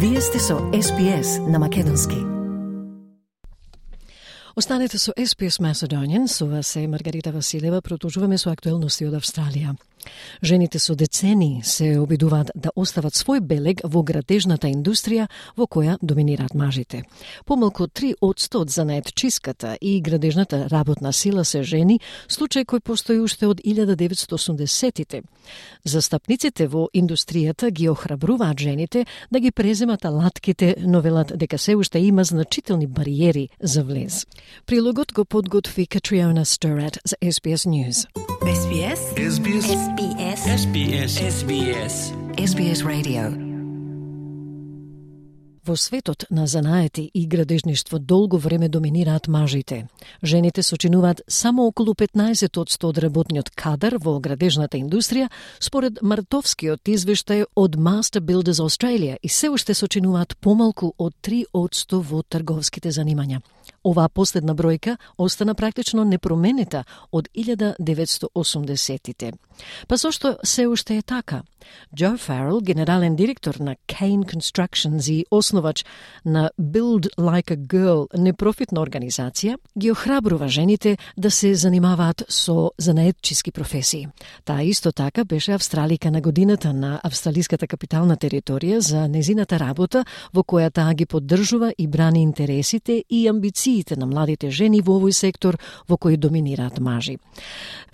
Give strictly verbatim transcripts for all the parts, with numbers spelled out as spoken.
Вие сте со Ес Би Ес на македонски. Останете со Ес Би Ес Macedonian, со вас е Маргарита Василева, продолжуваме со актуелности од Австралија. Жените со децени се обидуваат да остават свој белег во градежната индустрија во која доминираат мажите. Помалку три одсто од занаетчиската и градежната работна сила се жени, случај кој постои уште од илјада деветстотини и осумдесетите. Застапниците во индустријата ги охрабруваат жените да ги преземат алатките, но велат дека се уште има значителни бариери за влез. Прилогот го подготви Катриона Сторат за Ес Би Ес News. Ес Би Ес. Ес Би Ес. Ес Би Ес. Ес Би Ес. Ес Би Ес. Ес Би Ес Radio. Во светот на занаети и градежништво долго време доминираат мажите. Жените сочинуваат само околу петнаесет одсто од работниот кадар во градежната индустрија, според мартовскиот извештај од Master Builders Australia, и се уште сочинуваат помалку од три одсто во трговските занимања. Оваа последна бројка остана практично непроменита од илјада деветстотини и осумдесетите. Па зошто се уште е така? Джо Фарел, генерален директор на Kane Constructions и основач на Build Like a Girl, непрофитна организација, ги охрабрува жените да се занимаваат со занаетчиски професии. Таа исто така беше австралика на годината на австралиската капитална територија за незината работа, во која таа ги поддржува и брани интересите и амбициите на младите жени во овој сектор во кој доминираат мажи.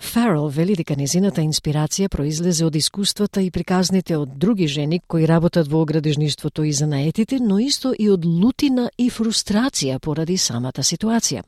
Фарел вели дека незината инспирација произлезе од искуствата и приказните од други жени кои работат во градежништвото и занаетите, но исто и од лутина и фрустрација поради самата ситуација.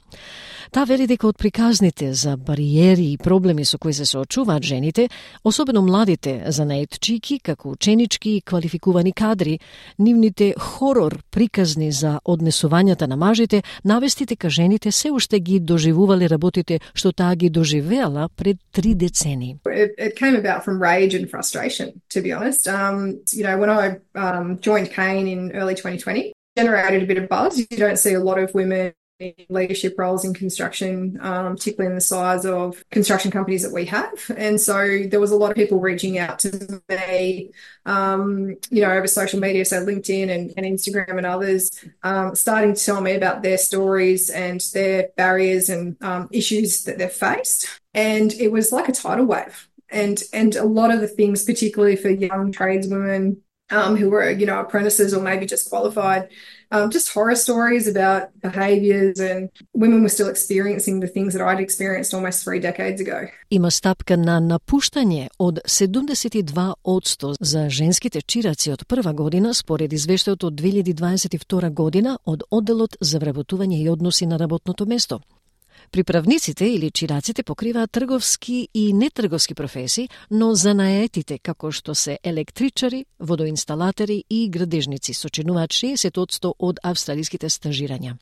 Таа вели дека од приказните за бариери и проблеми со кои се соочуваат жените, особено младите занаетчики, како ученички и квалификувани кадри, нивните хорор приказни за однесувањата на мажите, навести дека жените се уште ги доживувале работите што таа ги доживеала пред три децени. It, it came about from rage and frustration, to be honest. Um, you know, when I um, joined Kane in early twenty twenty, generated a bit of buzz. You don't see a lot of women in leadership roles in construction, um, particularly in the size of construction companies that we have. And so there was a lot of people reaching out to me, um, you know, over social media, so LinkedIn and, and Instagram and others, um, starting to tell me about their stories and their barriers and um, issues that they've faced. And it was like a tidal wave. And and a lot of the things, particularly for young tradeswomen um, who were, you know, apprentices or maybe just qualified, um, just horror stories about behaviours, and women were still experiencing the things that I'd experienced almost three decades ago. Има стапка на напуштање од седумдесет и два одсто за женските чираци од прва година според извештајот од две илјади дваесет и втора година од одделот за вработување и односи на работното место. Приправниците или чираците покриваат трговски и нетрговски професии, но занаетите, како што се електричари, водоинсталатори и градежници, сочинуваат шеесет одсто од австралиските стажирања.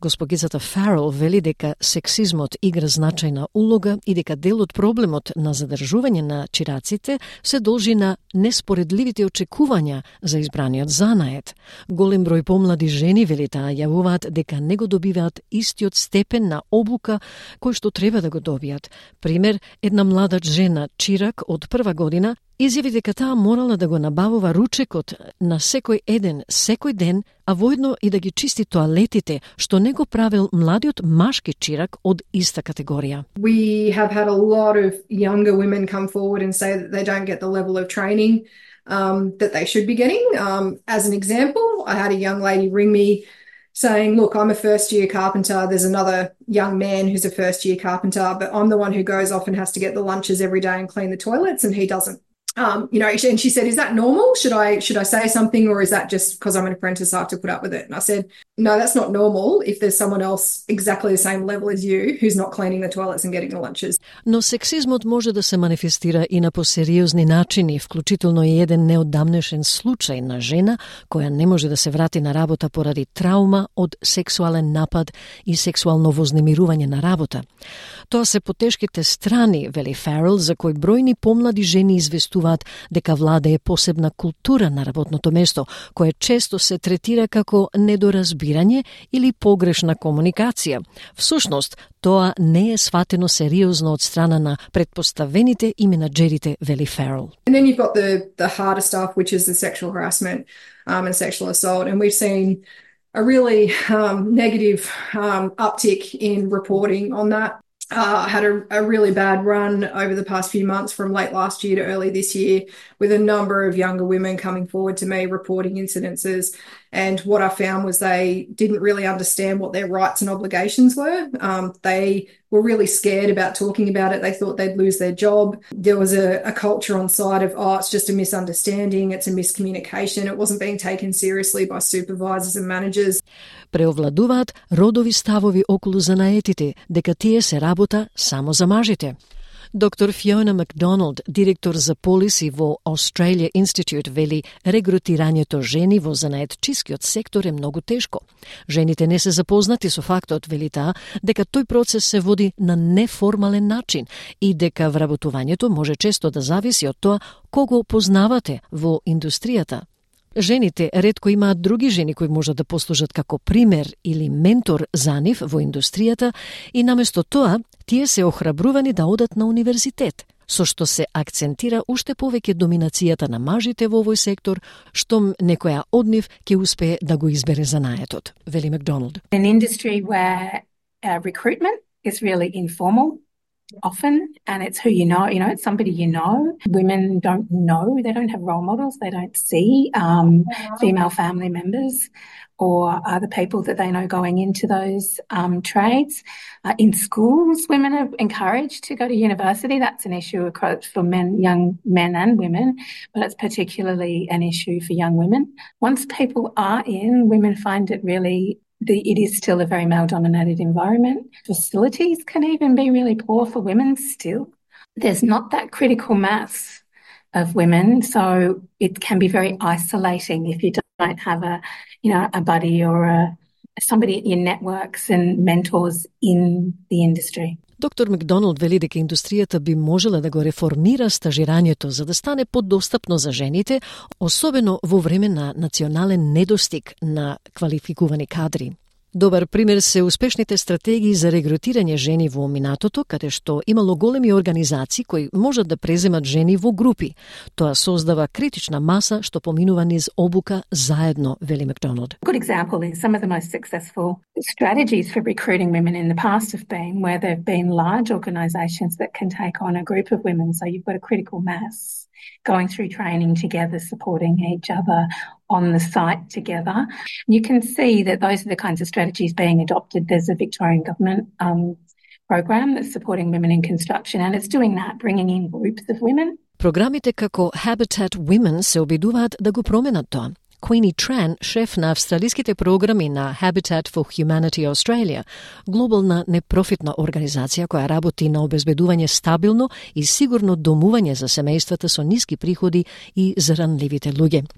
Госпогицата Фарел вели дека сексизмот игра значајна улога и дека дел од проблемот на задржување на чираците се должи на неспоредливите очекувања за избраниот занает. Голем број помлади жени, вели таа, јавуваат дека не го добиваат истиот степен на обука кој што треба да го добијат. Пример, една млада жена чирак од прва година изјави дека таа морала да го набавува ручекот на секој еден, секој ден, а воедно и да ги чисти тоалетите, што не го правил младиот машки чирак од иста категорија. We have had a lot of younger women come forward and say that they don't get the level of training um, that they should be getting. Um, as an example, I had a young lady ring me saying, look, I'm a first year carpenter. There's another young man who's a first year carpenter, but I'm the one who goes off and has to get the lunches every day and clean the toilets, and he doesn't. Um, you know, and she said, is that normal? Should I should I say something, or is that just because I'm an apprentice, I have to put up with it? And I said, no, that's not normal if there's someone else exactly the same level as you who's not cleaning the toilets and getting the lunches. Но сексизмот може да се манифестира и на посериозни начини, вклучително и еден неодамнешен случај на жена која не може да се врати на работа поради траума од сексуален напад и сексуално вознемирување на работа. Тоа се потешките страни, вели Фарел, за кои бројни помлади жени известуваат изјавуваат дека владее посебна култура на работното место, кое често се третира како недоразбирање или погрешна комуникација. Всушност, тоа не е сватено сериозно од страна на предпоставените и менаџерите, вели Ферел. And then you've got the the harder stuff, which is the sexual harassment um, and sexual assault, and we've seen a really um, negative um, uptick in reporting on that. Uh, I had a, a really bad run over the past few months from late last year to early this year with a number of younger women coming forward to me reporting incidences. And what I found was they didn't really understand what their rights and obligations were. Um, they were really scared about talking about it. They thought they'd lose their job. There was a, a culture on site of, oh, it's just a misunderstanding, it's a miscommunication. It wasn't being taken seriously by supervisors and managers. Преовладуваат родови ставови околу занаетите, дека тие се работа само за мажите. Доктор Фиона Макдоналд, директор за полиси во Australia Institute, вели регрутирањето жени во занаетчискиот сектор е многу тешко. Жените не се запознати со фактот, вели таа, дека тој процес се води на неформален начин и дека вработувањето може често да зависи од тоа кого познавате во индустријата. Жените ретко имаат други жени кои можат да послужат како пример или ментор за нив во индустријата и наместо тоа тие се охрабрувани да одат на универзитет, со што се акцентира уште повеќе доминацијата на мажите во овој сектор, штом некоја од нив ќе успее да го избере занаетот, вели Макдоналд. An industry where uh, recruitment is really informal often, and it's who you know, you know, it's somebody you know. Women don't know, they don't have role models, they don't see um, female family members or other people that they know going into those um, trades. Uh, in schools, women are encouraged to go to university. That's an issue across for men, young men and women, but it's particularly an issue for young women. Once people are in, women find it really The, it is still a very male-dominated environment. Facilities can even be really poor for women still. There's not that critical mass of women, so it can be very isolating if you don't have a, you know, a buddy or a, somebody at your networks and mentors in the industry. Доктор Макдоналд вели дека индустријата би можела да го реформира стажирањето за да стане подостапно за жените, особено во време на национален недостиг на квалификувани кадри. Добар пример се успешните стратегии за регрутирање жени во минатото, каде што имало големи организации кои можат да преземат жени во групи. Тоа создава критична маса што поминува низ обука заедно, вели Макдоналд. A good example is some of the most successful strategies for recruiting women in the past have been where there have been large organisations that can take on a group of women, so you've got a critical mass going through training together, supporting each other on the site together. You can see that those are the kinds of strategies being adopted. There's a Victorian government um, program that's supporting women in construction, and it's doing that, bringing in groups of women. Програмите како Habitat Women се обидуваат да го променат тоа. Queenie Tran, шеф на австралиските програми на Habitat for Humanity Australia, глобална непрофитна организација која работи на обезбедување стабилно и сигурно домување за семејствата со ниски приходи и за ранливите луѓе.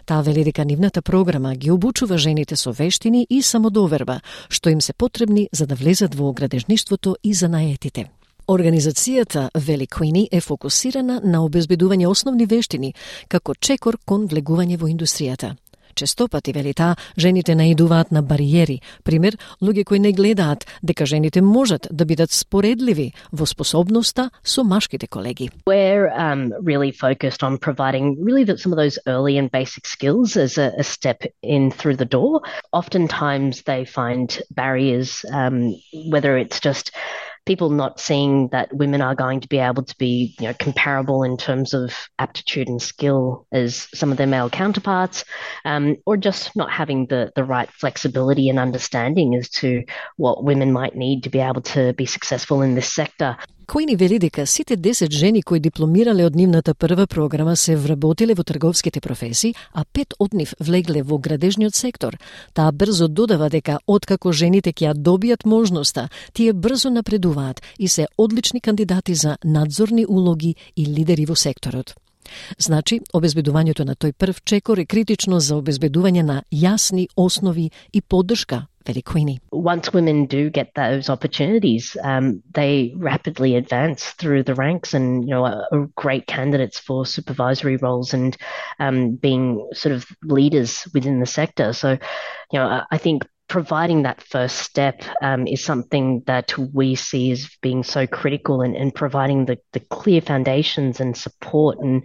Таа вели дека нивната програма ги обучува жените со вештини и самодоверба, што им се потребни за да влезат во градежништвото и занаетите. Организацијата, вели Queenie, е фокусирана на обезбедување основни вештини, како чекор кон влегување во индустријата. Често пати, вели таа, жените наидуваат на бариери, пример, луѓе кои не гледаат дека жените можат да бидат споредливи во способноста со машките колеги. We're um, really focused on providing really the, some of those early and basic skills as a, a step in through the door. Oftentimes they find barriers, um, whether it's just people not seeing that women are going to be able to be, you know, comparable in terms of aptitude and skill as some of their male counterparts, um, or just not having the, the right flexibility and understanding as to what women might need to be able to be successful in this sector. Queenie вели дека сите десет жени кои дипломирале од нивната прва програма се вработиле во трговските професии, а пет од нив влегле во градежниот сектор. Таа брзо додава дека откако жените ќе ја добијат можноста, тие брзо напредуваат и се одлични кандидати за надзорни улоги и лидери во секторот. Значи, обезбедувањето на тој прв чекор е критично за обезбедување на јасни основи и поддршка, вели Queenie. Once women do get those opportunities, um, they rapidly advance through the ranks and, you know, are, are great candidates for supervisory roles and um, being sort of leaders within the sector. So, you know, I, I think providing that first step um, is something that we see as being so critical, and, and providing the, the clear foundations and support. And,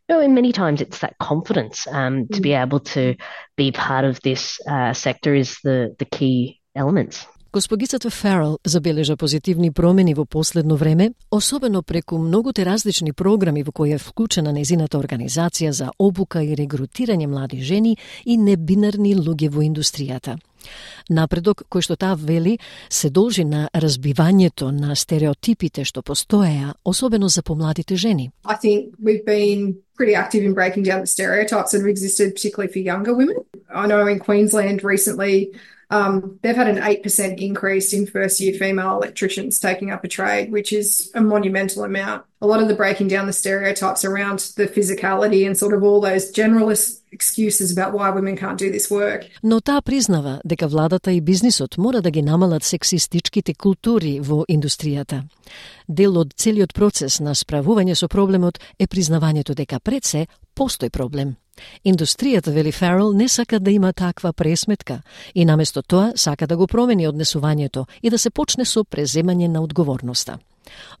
you know, and many times it's that confidence um, to be able to be part of this uh, sector is the, the key elements. Госпогицата Фарел забележа позитивни промени во последно време, особено преку многуте различни програми во кои е вклучена незината организација за обука и регрутирање млади жени и небинарни луѓе во индустријата. Напредок кој што таа вели се должи на разбивањето на стереотипите што постоеа, особено за помладите жени. I think we've been pretty active in breaking down the stereotypes that have existed, particularly for younger women. I know in Queensland recently, Um, they've had an eight percent increase in first-year female electricians taking up a trade, which is a monumental amount. A lot of the breaking down the stereotypes around the physicality and sort of all those generalist excuses about why women can't do this work. Но таа признава дека владата и бизнисот мора да ги намалат сексистичките култури во индустријата. Дел од целиот процес на справување со проблемот е признавањето дека пред се постои проблем. Индустријата, вели Фарел, не сака да има таква пресметка и наместо тоа сака да го промени однесувањето и да се почне со преземање на одговорноста.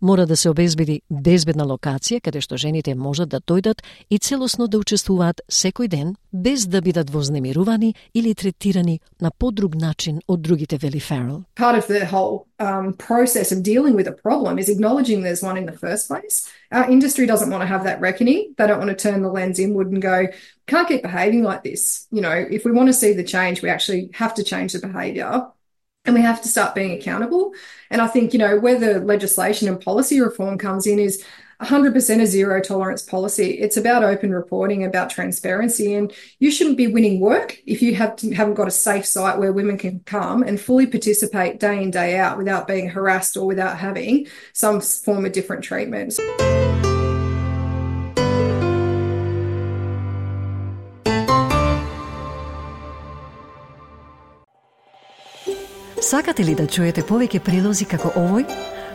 Мора да се обезбеди безбедна локација каде што жените можат да дојдат и целосно да учествуваат секој ден без да бидат вознемирувани или третирани на подруг начин од другите, вели Фарел. Part of the whole um, process of dealing with a problem is acknowledging there's one in the first place. Our industry doesn't want to have that reckoning. They don't want to turn the lens inward and go, can't keep behaving like this. You know, if we want to see the change, we actually have to change the behaviour. And we have to start being accountable. And I think, you know, where the legislation and policy reform comes in is one hundred percent a zero tolerance policy. It's about open reporting, about transparency, and you shouldn't be winning work if you have to, haven't got a safe site where women can come and fully participate day in, day out without being harassed or without having some form of different treatment. Сакате ли да чуете повеќе прилози како овој?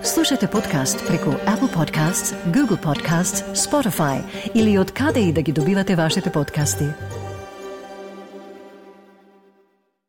Слушате подкаст преку Apple Podcasts, Google Podcasts, Spotify или од каде и да ги добивате вашите подкасти.